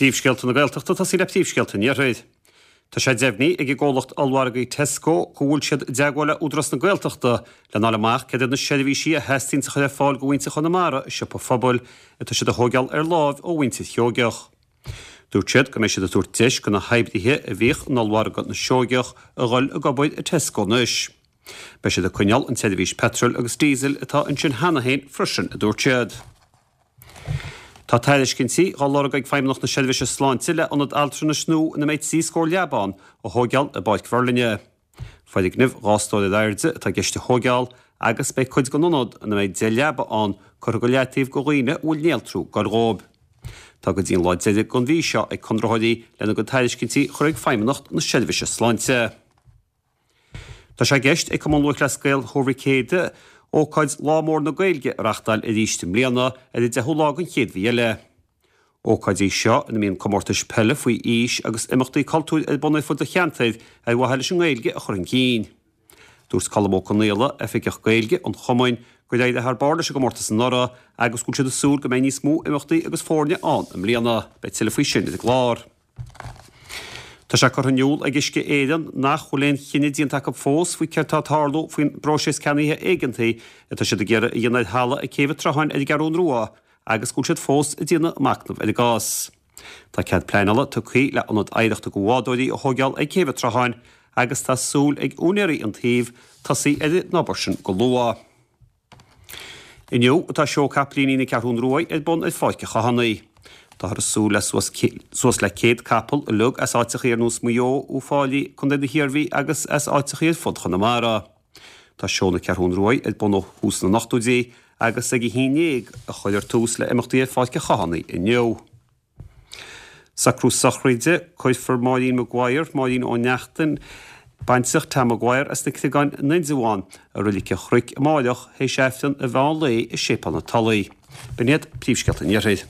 Príomhscéalta na Gaeltachta, tosaí le príomhscéalta an Iarthair. Tá sé deimhnithe ag an gcomhlacht ollmhargaidh Tesco go bhfuil siad i dteagmháil le Údarás na Gaeltachta lena fháil amach céard iad na seirbhísí a theastaíonns a chur ar fáil do mhuintir Chonamara i siopa phobail atá siad a thóigeáil ar láimh ó mhuintir Sheoigeach. Dúirt siad go mbeidh siad ag tabhairt deis do na hoibrithe a bhíodh in ollmhargadh na Seoigeach a dhul ag obair i Tesco anois. Beidh siad ag coinneáil an tseirbhís peitril agus díosail atá ansin cheana féin freisin, a dúirt siad. Tá tairiscintí dhá lorg ag Feidhmeannacht na Seirbhíse Sláinte le ionad altranais nua ina mbeidh 30 scór leaba ann a thóigeáil i bPáirc Mheirlinne. Foirgneamh 2 stór ar airde atá i gceist a thóigeáil agus beidh cuid den ionad, ina mbeidh 10 leaba ann, curtha go leataobh do dhaoine a bhfuil néaltrú ag goil dhóibh. Tá go dtí an lá deiridh den mhí seo ag conraitheoirí lena gcuid tairiscintí a chur ag Feidhmeannacht na Seirbhíse Sláinte. Tá sé i gceist ag Cumann Lúthchleas Gael Thuar Mhic Éadaigh ócáid Lá Mór na Gaeilge a reachtáil arís i mbliana ar an 10ú lá den chéad mhí eile. Ócáid í seo ina mbíonn comórtais peile faoi aois agus imeachtaí cultúir ar bun ar fud an cheantair ar mhaithe leis an nGaeilge a chur chun cinn. Dúirt Colm Ó Conaola, Oifigeach Gaeilge an Chumainn, gur éirigh thar barr leis an gcomórtas anuraidh agus go bhfuil siad ag súil go mbeidh níos mó imeachtaí agus foirne ann i mbliana. Beidh tuilleadh faoi sin ar an gclár. Tá sé curtha in iúl ag Uisce Éireann nach bhfuil aon chinneadh déanta acu fós faoi céard atá ag tarlú faoin bpróiseas ceannaithe éigeantaí atá siad ag iarraidh a dhéanamh ar thalamh ag Céibh an tSrutháin ar an gCeathrún Rua agus go bhfuil siad fós ag déanamh machnamh ar an gcás. Tá cead pleanála tugtha le ionad oidhreachta do bhádóirí a thóigeáil ag Céibh an tSrutháin agus tá súil ag úinéirí an tsuímh tosaí ar an obair sin go luath. Inniu atá seó capaillíní na Ceathrún Ruaidh ar bun ar Pháirc an Chathánaigh. Táthar ag súil le suas suas le 100 capall uilig as áiteachaí ar nós Maigh Eo, Uíbh Fhailí, Contae na hIarmhí agus as áiteachaí ar fud Chonamara. Tá seó na Ceathrún Ruaidh ar bun ó thús na n-ochtóidí agus ag a 11 a chuirfear tús le imeachtaí ar Pháirc an Chathánaigh inniu. Socrú sochraide, Cuirfear Máirín Maguire, Máirín Ó Neachtain, baintreach Tom Maguire as na Criogáin in Indreabhán, i Reilig an Chnoic amáireach théis Aifreann an mheán lae i Séipéal na Tulaí. B'in iad príomhscéalta an Iarthair.